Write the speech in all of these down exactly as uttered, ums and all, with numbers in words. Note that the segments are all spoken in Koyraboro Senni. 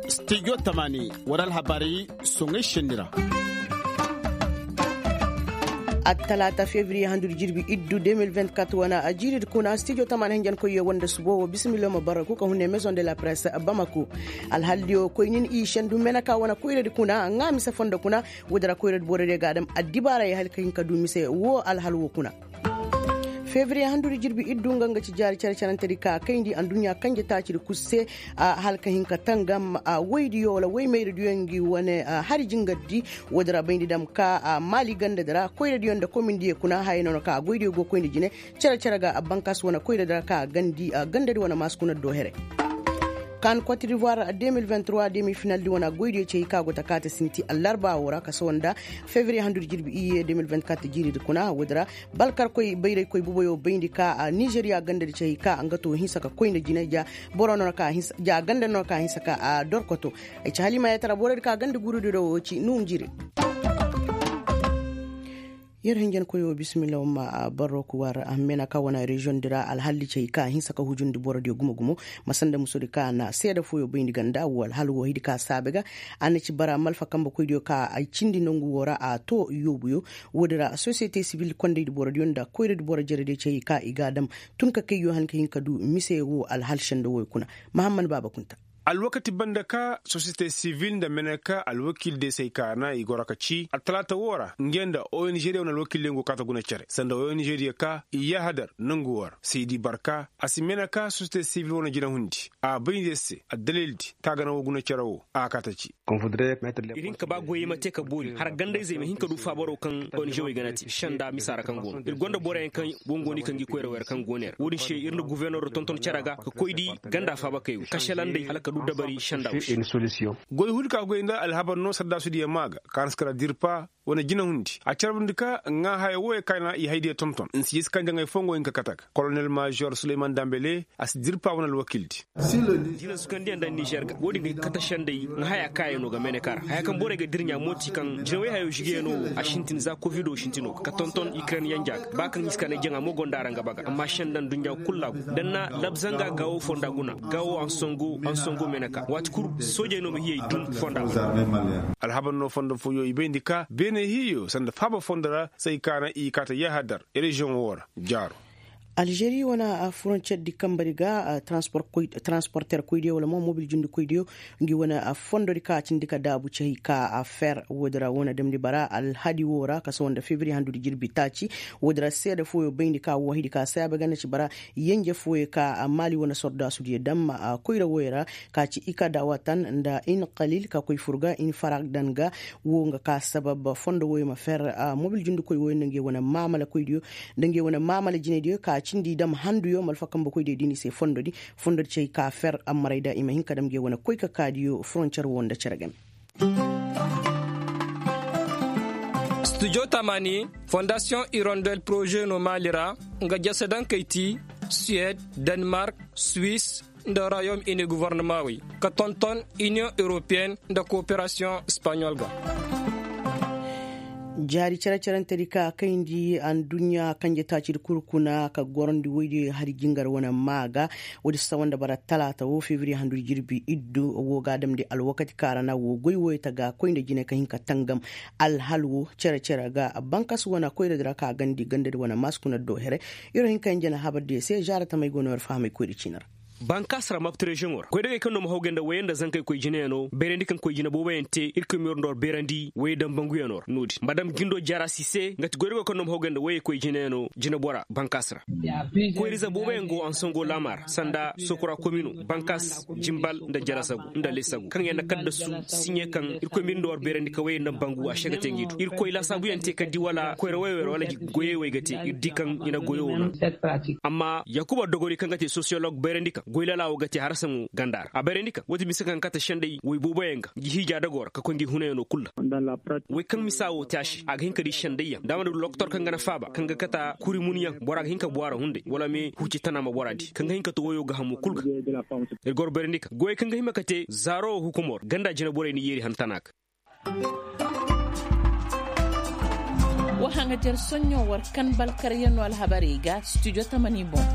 Studio tamani wara alhabaari soŋay senni ra. Attalaata fevriye handudi jirbi iddu deux mille vingt-quatre wana a jiiridi kuna studio tamani hinjankoyyo wanda subo wo bisimillo ma barraku ka hunne maison de la presse bamako. Alhaldiyo koynin i sendu meneka wana koyradi kuna ŋa mise fondo kuna. Woodi ra koyradi borodiyo ga a dam addibaarayo hala ka hin ka du mise wo alhal wo kuna. Fevriye handudi jirbi iddu nga nga ci jaari cere-cerentedi ka kayndi adduɲɲa kanje taacidi kul se. Hala ka hin ka tangam woydiyo wala woy mayradiyo ngi wane hari jingardi. Woodi ra bayndi dam ka maali gandadi ra koyradiyo nda komindiyo kuna haya noona ka goydiyo go koyndi jine. Cere-cere ga bankas wane koyradi ra ka gandadi wane maasi kuna do here. Kan kotdivuwar deux mille vingt-trois demi finaldi wane goydiyo cey ka go ta kaate sinti allarba wo ra ka sohõ nda fevriye handudi jirbi iyye deux mille vingt-quatre jiiridi kuna woodi ra. Balkarkoy bayraykoy buboyo bayndi ka nizeriya gandadi cey ka nga to hinsa ka koy nda jine ja. Boro no na ka hinsa ja ganda no na ka hinsa ka a dorkoto. Ay ci halima yatara borodi ka ganda gurudi do wo ci nuŋ jire. Yer hinjankoyo bisimilla wo ma barro ku war a mena ka wana reziyoŋ di ra alhalli cey ka hinsa ka hujundi borodiyo gumo-gumo. Ma sanda musodi ka na seeda fooyo bayndi ganda wo alhal wo hidi ka saabe ga. A na ci bara malfa kambe koydiyo ka ay cindi nongu wo ra a to yoobuyo. Woodi ra sosiyete sibil kondaydi borodiyo nda koyradi boro jerediyo cey ka i ga a dam tun ka kayyo han ka hin ka du mise wo alhal senda woy kuna. Mahammad baaba kunta. Alwakati banda ka sosiyete sibil nda meneka alwakiil de se ay kaana i goro ka ci attalaata woo ra ngey nda ong diyo wane alwakiil diyo go kaata guna cere sanda ong diyo ka i yaahadar nongu woo ra seydi barka a si meneka sosiyete sibil wane jinahundi a bay nda yer se addalildi ka gana woo guna cere woo a kaata ci. Ir hin ka ba goyey ma te ka boori har gandayzey ma hin ka du faabaro kaŋ ong wey gana te senda misa ra kaŋ go no ir gonda boroyaŋ kaŋ go no i kaŋ gi koyra wey ra kaŋ go no yer wo-din se ir nda guverner tonton cere ga ka koy di ganda faabakey wey kaselandey hala ka du dabari senda wey se. Goy hul ka goy nda alhabar no saddasudiyo maa ga kaŋ a na si kara dirpa wane jinahundi a carbundi ka ŋaa haya wooyo kaŋ a na i haydiyo tonton nsi ye si kaŋ jaŋay foo nga wo hin ka kate ga kolonel mayor suleyman dambele a si dirpa wane alwakiildi. Jinansukandiyaŋ nda nizer ga wo-din ga kate sendey ŋaa haya kaayaŋo ga meneka ra haya kaŋ borey ga dirɲa mooti kaŋ jinawey hayo zigeyaŋo wo a sintin za kovido sintino ga ka tonton ikren yanja ga ba kaŋ hiska ne jaŋa mo gonda ra nga baga amma senda nduɲɲa kul ra go da ni na labzanga gaawo fonda guna gaawo ansongo meneka waati kul soojey no ma hiyey dum fonda. Alhabar no fondo fooyo i bayndi ka beene hiyo sanda faaba fondo ra se ay kaana i kaata yahadar reziyoŋo woo ra. Jaaro. Alžeri wane frontiyer di kambari ga transporter koydiyo wala mo mobil jundikoydiyo ngi wane fondo di ka cindi ka daabu cey ka fer woodi ra wane damndi bara alhadi woo ra ka sohõ nda fevriye handudi jirbi taaci. Woodi ra seeda fooyo bayndi ka woo hidi ka saabe ga na ci bara yenje fooyo ka maali wane sordaasudiyo dam koyra wooyo ra ka ci i ka daawatan nda in kalil ka koy fur ga in faragdan ga. Woo nga ka sabab fondo wooyo ma fer mobil jundikoy wooyo nda ngey wane maamala koydiyo nda ngey wane maamala jinaydiyo ka cindi dam handuyo malfa kambe koydiyo diini se fondodi. Fondodi cey ka fer ammarayda i ma hin ka dam ngey wane koy ka kaadiyo frontiyer woo nda cere game. Studio tamani fondasiyoŋ irondel poroze no maali ra nga jasadankey ti suwed, denmark, swis, nda royaume uni govornamaawey ka tonton iniyoŋ europeyen nda kooperasiyoŋ espaɲol ga. Jaari cere-cerentedi ka kayndi adduɲɲa kanje taacidi kul kuna ka gorandi woydiyo hari jingar wane maa ga. Woodi sawa nda bara talaata woo fevriye handudi jirbi iddu woo ga a damndi alwakati kaŋ a ra na woo goy wooyo ta ga koy nda jine ka hin ka tangam. Alhal woo cere-cere ga bankas wane koyradi ra ka gandi gandadi wane maasi kuna do here. Yer wo hin ka hin jana habardiyo se zaara tamey go no yer fahamay koyra ciini ra. Bankaas ra mapti reziyoŋo ra goydogey kaŋ no ma hawgay nda woyey nda zankey koy jineyaŋo beerandi kaŋ koy jine booboyaŋ te irkoy ma yer nda war beerandi woyey dambanguyaŋo ra no-din madam gindo jarasi se nga ti goydogey kaŋ no ma hawgay nda woyey koy jineyaŋo jinebora bankaas ra. Koyrize booboyaŋ go ansongo laama ra sanda sokura komino bankaas, jimbal nda jalasagu nda lesagu kaŋ yaŋ na kaddasu siɲe kaŋ irkoy ma yer nda war beerandi ka woyey nda bangu a se ga te ngi du irkoy laasaabuyaŋ te ka di wala koyra woyey ra wala goyey wey ga te ir di kaŋ i na goyo wo no. Amma yaakuba dogori kaŋ ga te sosiyolog bayrandi kaŋ goy lala wo ga te harasaŋo ganda ra a bayrandi kaŋ woo ti mise kaŋ ga kate sendey woy booboyaŋ ga ngi hiija dago ra ka koy ngi hunayaŋo kul ra. Woy kaŋ misa wo te a se a ga hin ka di sendeyyaŋ da a mana du lokotor kaŋ ga na faaba kaŋ ga kata kuri munyaŋ bora ga hin ka bu a ra hunday wala me huci tana ma bora di kaŋ ga hin ka to woyo ga hamo kul ga. Ir goro bayrandi kaŋ goyey kaŋ ga hima ka te zaaro hukumo ra ganda jine borey ni yeeri han tana ga. Wa haŋajer soɲɲo war kan balkaryaŋo alhabarey ga studio tamani boŋ.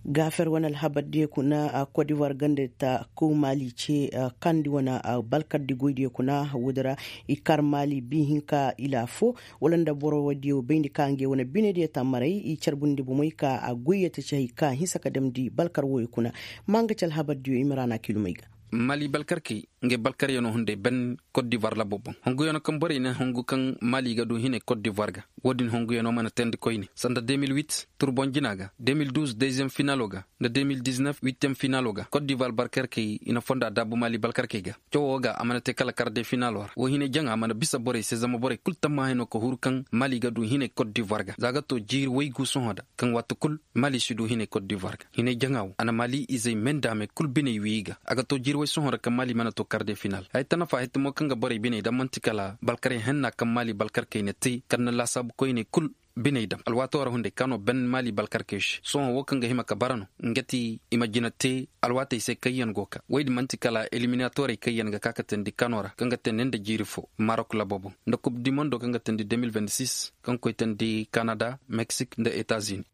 Gaafer wane alhabar diyo kuna kodivar ganda ta kaw maali ce kandi wane balkar di goy diyo kuna woodi ra. I kar maali bi hinka ila fo wala nda boro woo diyo bayndi ka ngey wane bine diyo tammaray i carbundi bomey ka a goy ya ta ci hay ka hinsa ka damndi balkar wooyo kuna. Ma nga ci alhabar diyo i ma ra na kilumey ga. Maali balkar kay ngey balkaryanoo hunday ban kot divoir labo boŋ hunguyanoo kaŋ borey na hungu kaŋ maali ga du hinay kot divoir ga. Woodin hunguyanoo mana teendi koyne sanda de mil wit turboŋ jina ga de mil duuz deziyem finalo ga nda de mil diznef witiyem finalo ga kot divoir balkar kay i na fonda daabu maali balkar kay ga. Cawoo ga a mana te kala kar de finalo ra woo hinay jaŋa mana bisa borey se zama borey kul tammahay no ka huru kaŋ maali ga du hinay kot divoir ga za ga to jiiri waygu sohõ da kaŋ waati kul maali si du hinay kot divoir ga hinay jaŋa woo a na maali izey meendaamey kul biney wii ga a ga to jiiri way sohõ ra kaŋ maali mana to kar de final haya ta nafa haya ta mo kaŋ ga borey biney dam man'ti kala balkarey henna kaŋ maali balkarkey na te kar na laasaabu koyney kul biney dam alwaatoo ra hunday ka no ben maali balkarkey se sohõ woo kaŋ ga hima ka bara no nga ti i ma jina te alwaatey se kaŋyaŋ go ka woy din man'ti kala eliminatorey kaŋyaŋ ga ka ka teendi kano ra kaŋ ga teendi nda jiiri fo marok labo boŋ nda kub di mondo kaŋ ga teendi de mil vint sis kaŋ koy teendi kanada meksik nda etazini.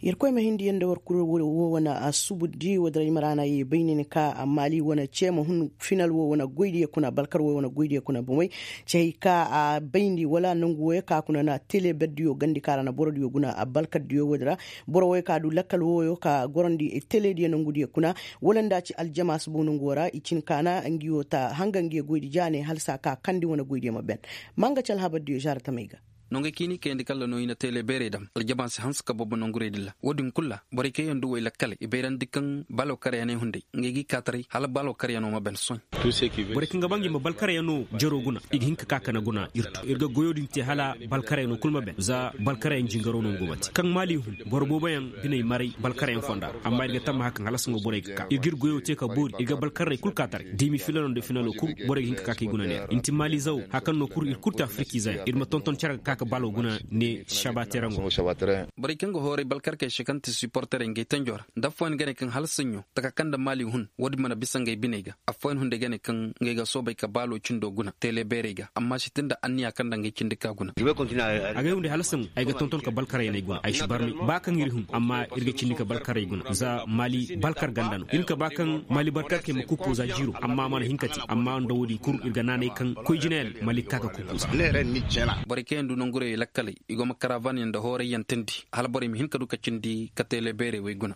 Yerkoy ma hindi yaŋ nda war kul woo wane a subu di woo dira i ma ra na ye bay ne ni ka maali wane ce ma hun final woo wane goy diyo kuna balkar woo wane goy diyo kuna bomey. Cey ka a bayndi wala nangu wooyo ka kuna na tele ber diyo gandi ka ra na boro diyo guna a balkar diyo woo dira. Boro wooyo ka du lakkal wooyo ka gorandi tele diyo nangu diyo kuna wala nda ci aljamaas boŋ nangu woo ra i cin ka na ngi woo ta hanga ngi goy di jaane hala saa ka kandi wane goy diyo ma ben. Ma nga ci alhabar diyo zaara tamey ga. Nongey kaŋ i n'i kayandi kalla no i na teele beerey dam aljama si hanse ka boobo nongurey din ra woo din kul ra borey kaŋ yaŋ du way lakkaley i bayrandi kaŋ baalo karyaney hunday ngey g'i kaataray hala baalo karyano ma ban soy. Borey kaŋ ga ba ngi ma balkaryano jaro guna i ga hin ka ka kana guna ir tu ir ga goyo din te hala balkaryano kul ma ban za balkaryan jingaro no ngo mate kaŋ maali hun boro booboyaŋ biney maray balkaryan fonda ra amma ir ga tamma hakaŋ hala sango borey ga ka ir g'ir goyo te ka boori ir ga balkarney kul kaataray demi filano nda finalo kul borey ga hin ka ka kay guna neera inti maali zaw hakaŋ no kul ir kul te afiriki zaya ir ma tonton cere ga ka ka baalo guna ne saba terango. Borey kaŋ ga hooray balkarkey se kaŋ ti siporterey ngey tanjo ra nda affooyaŋ ga ne kaŋ hala saɲɲo taka kaŋ nda maali hun woodin mana bisa ngey biney ga affooyaŋ hunday ga ne kaŋ ngey ga soobay ka baalo cindo guna teele beerey ga amma si te nda anniya kaŋ nda ngey cindi ka guna. Agay hunday hala saŋ ay ga tonton ka balkarey ne guna ay si barmay ba kaŋ ir hun amma ir ga cindi ka balkarey guna za maali balkar ganda no ir ka ba kaŋ maali balkarkey ma kuppo za jiiro amma a mana hin ka te amma nda woodin kul ir ga naanay kaŋ koy jinayaŋ maali ka ka kuppo za. Borey kaŋ yaŋ du nangurey lakkaley i go ma karavan yaŋ nda hooray yaŋ teendi hala borey ma hin ka du ka cindi ka teele beerey wey guna.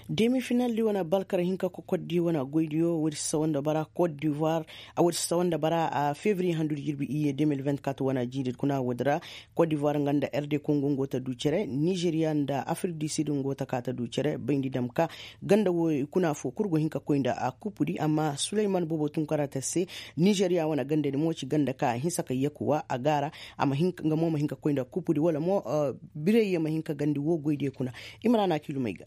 Demi final di wane balkar hinka kokoddi wane goydiyo woodi si sawa nda bara kot divoir. A woodi si sawa nda bara a fevriye handu di jirbi iyye de mil vingt-quatre wane jiiri di kuna woodi ra. Kot divoir nga nda r d kongo ngo ta du cere nizeriya nda afrik du sud ngo ta ka ta du cere bayndi dam ka ganda wo i kuna fo kul go hin ka koy nda a kupu di amma suleyman boobo tun kara ta se. Nizeriya wane ganda di mo ci ganda ka a hinsa ka yakuwa a gaara. Nga mo ma hin ka koy nda kupu di wala mo birey ye ma hin ka gandi wo goy diyo kuna. I ma ra na kilumey ga.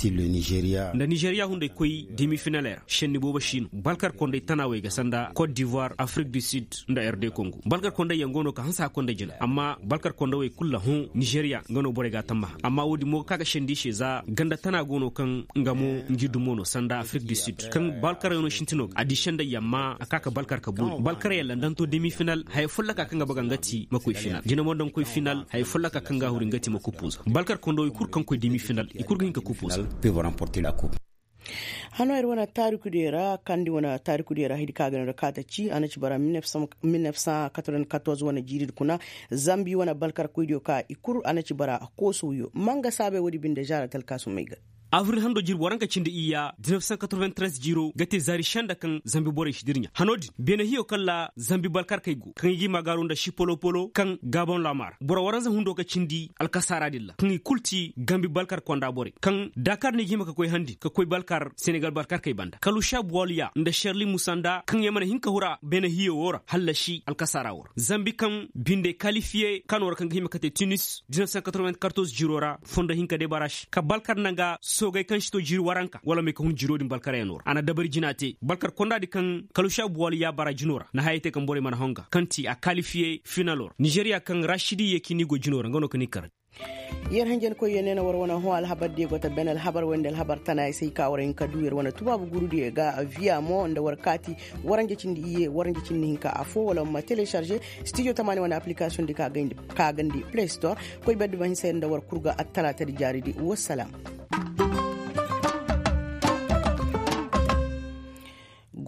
Nda nizeriya hunday koy demi finaley ra senni boobo si no balkar konday tanaawey ga sanda kot divoir afrik du sud nda r d kongo balkar konday yaŋ go no ka hanse a konday jina amma balkar kondawey kul ra hõ nizeriya nga no borey ga a tammaha amma woodin mo ga ka ga sendi i se za ganda tana go no kaŋ nga mo ngi dumo no sanda afrik du sud kaŋ balkaryaŋo sintino ga a di senday yaŋ ma a ka ka balkar ka boori balkaryaŋ ra nda ni to demi final haya folloka kaŋ ga baga nga ti ma koy final jina mo nda ni koy final haya folloka kaŋ ga a huri nga ti ma kupuza balkar kondawey kul kaŋ koy demi final i kul ga hin ka kupuza. Hano ir wane taariku diyo ra kandi wane taariku diyo ra hidi ka ga no da kaata ci a na ci bara mil nef san katorben katorz wane jiiri di kuna zambi wane balkar koy diyo ka i kul a na ci bara koosu wiyo manga saabay woodi binde zaara talkaasumey ga. Avril hando jirbi waranka cindi iyya dix-neuf cent quatre-vingt-treize jiiro ga te zaari senda kaŋ zambi borey si dirɲa hano din beene hiyo kaŋ ra zambi balkarkey go kaŋ i g'i ma gaaru nda sipolopolo kaŋ gabon laama ra boro waranza hundo ga cindi alkasaara din ra kaŋ i kul ti gambi balkar konda borey kaŋ dakar no i ga hima ka koy han din ka koy balkar senegal balkarkey banda kalusa buwaliya nda serli musa nda kaŋ yaŋ mana hin ka hura beene hiyo wo ra hallasi alkasaara wo ra zambi kaŋ binde kalifiye kano ra kaŋ ga hima ka te tunis dix-neuf cent quatre-vingt-quatorze jiiro ra fondo hinka de barasi ka balkar nanga soogay kaŋ si to jiiri waranka wala may ka hun jiiro din balkaryaŋo ra a na dabari jina te balkar konda di kaŋ kalusha buwali ya bara jino ra na hayey te kaŋ borey mana honga kaŋ ti a kalifiye finalo ra nizeriya kaŋ rasidi ye kini go jino ra nga no ka ni kar. Yer hanjankoy ye ne na war wane hõ alhabar diyo go ta ben alhabar wayne nda alhabar tana ay se ay ka war hin ka du yer wane tubaabu guuru diyo ga viya mo nda war kaati waranja cindi iyye waranja cindi hinka afo wala ma telecharge studio tamaani wane application di ka gandi play store. Koy beddi ma hinsa yer nda war kurga attalaata di jaari di wassalam.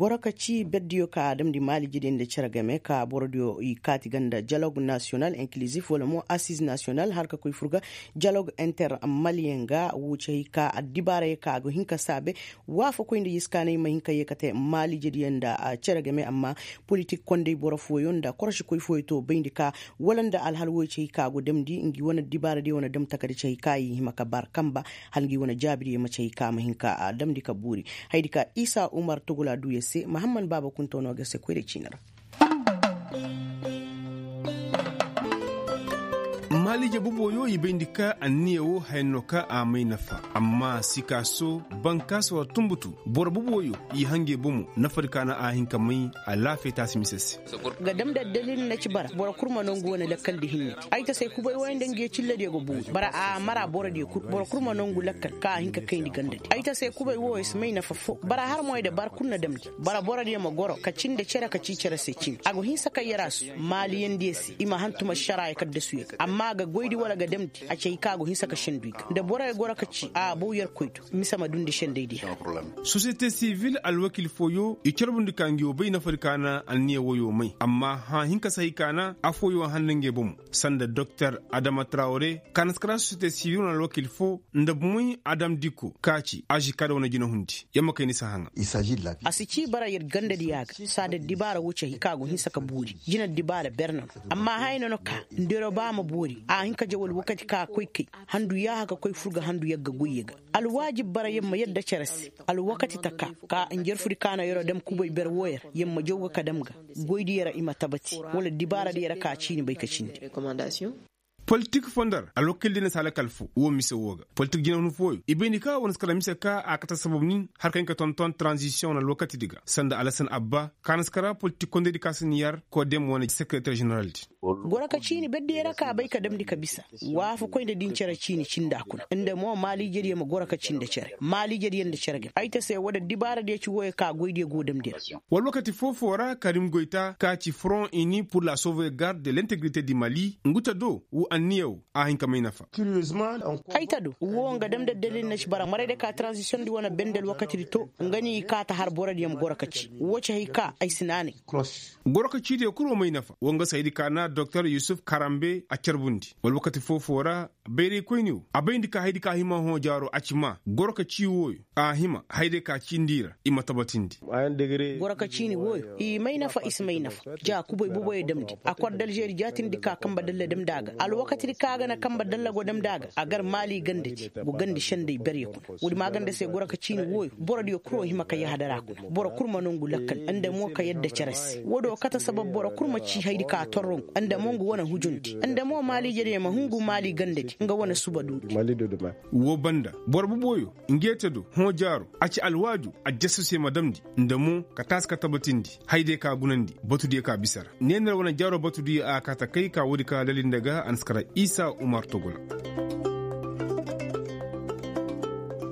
Boro ka ci berdiyo ka a damndi maaliijediyo nda cere game ka borodiyo i kaati ga nda dialog nasiyonal inkilizif wala mo asiz nasiyonal har ka koy fur ga dialog inter maliyen ga wo ci hay ka addibaarayey ka a go hin ka saabe. Waafakoy nda yee si ka na ay ma hin ka yee ka te maaliijediyo nda cere game amma politik kondey boro fooyo nda korosikoy fooyo to bayndi ka wala nda alhal wooyo ci hay ka a go damndi ngi wane addibaaradiyo wane dam takadi ci hay ka i hima ka bar kamba hala ngi wane jaabidiyo ma ci hay ka a ma hin ka damndi ka buuri. Hayadi ka isa umar togula duu yer se mahamman baaba kunto no ga se koyra ciini ra. Maaliije boboyo i bayndi ka anniya woo haya no ka a may nafa. Amma sikaaso bankaasa war tunbutu boro boboyo i hangey bomo nafadi ka na a hin ka may. Alaafiya taasi mise se. Ga dam da dalil na ci bara boro kul ma nangu wane lakkaldi hinne. Ay ta se kubay wooyo nda ngi ye cilladiyo ga buuri bara a mara borodiyo kul boro kul ma nangu lakkal ka a hin ka kayndi gandadi ay ta se kubay wooyo si may nafa foo bara har moy da bara kul na damndi. Bara borodiyo ma goro ka cindi cere ka cii cere se cindi a go hinsa ka yarasu maaliyandiyo se i ma hantuma šaraayo ka dasuyo ga amma a ga goydi wala ga damndi a ci hay ka a go hinsa ka sendu i ga nda boroyo goro ka ci a bow yerkoy do. Mise ma dundi sendaydiyo ra. Sosiyete sivil alwakil fooyo i carbundi ka ngi woo bay nafadi ka na anniya woyo may amma hã hinka si hay ka na afooyo handa ngey bomo sanda doktor adama trawre ka na si kara sosiyete sivil wane alwakil foo nda bomoy adam diko ka ci aži ka da wane jinahundi yer ma kay ni si haŋa. A si cii bara yer gandadiya ga saa da dibaara woo ci hay ka go hinsa ka boori jina dibaara ber no no amma haya no no ka nda yer ba ma boori a hin ka jawal wakati ka koy kay handu yaaha ka koy fur ga handu yagga goyye ga. Alwaajib bara yer ma yadda cere se alwakati ta ka ka njarfudi ka na yeroo dam kubay ber wooyo ra yer ma jaw ga ka dam ga goydiyo ra i ma tabati wala dibaaradiyo ra ka ciini bay ka cindi. Politik foo nda ra alwakildi na si alakal foo woo mise woo ga politik jinahun fooyo i bay ni ka wane si kala mise ka a kate sabab nin har ka hin ka tonton taranzisiyoŋ wane alwakatidi ga sanda alasan abba ka na si kara politik kondaydi ka si ni yar kodem wane sekereter ženeraldi. Goro ka ciini berdiyo ra ka bay ka damndi ka bisa waafakoy nda din cere ciini cinda kuna nda mo maaliijediyo ma goro ka cii nda cere maaliijediyo nda cere game ay ta se woo da dibaaradiyo ci wooyo ka goydiyo go damndi ra. War wakati foo-foo ra karim goyta ka ci front ini pur la sauvegarde de l'integrite di mali ngu ta do woo anniya woo a hin ka may nafa. Ay ta do woo nga dam da dalil na ci bara maray da ka taranzisiyoŋ di wane bendel wakatidi to nga ni i kaa ta har borodiyo ma goro ka ci woo ci hay ka ay si naanay. Goro ka ciidiyo kul woo may nafa woo nga si haydi ka na doktor yusuf karambe a carbundi war wakati foo-foo ra bayraykoyni woo a bayndi ka haydi ka hima hõ jaaro a ci maa goro ka cii wooyo a hima hayday ka cindi i ra i ma tabatindi. Goro ka ciini wooyo i may nafa i si may nafa ja kubay boboyo damndi a kor da alžeri jaatindi ka kamba dalla damndi a ga alwakatidi ka a ga na kamba dalla go damndi a ga a gar maali gandadi go gandi senday berye kuna woodi maaganda se goro ka ciini wooyo borodiyo kul woo hima ka yahadara kuna boro kul ma nongu lakkal nda mo ka yadda cere se woodi woo kate sabab boro kul ma cii haydi ka torrongu nda mo ngu wane hujundi nda mo maaliijediyo ma hungu maali gandadi nga wane suba duudi. Woo banda boro boboyo nge te do hõ jaaro a ci alwaaju a jasso se ma damndi nda mo ka taasi ka tabatindi haydiyo ka gunandi batudiyo ka bisa ra neener wane jaaro batudiyo a kaa ta kay ka woodi ka lalinda ga a na si kara isa umar togola.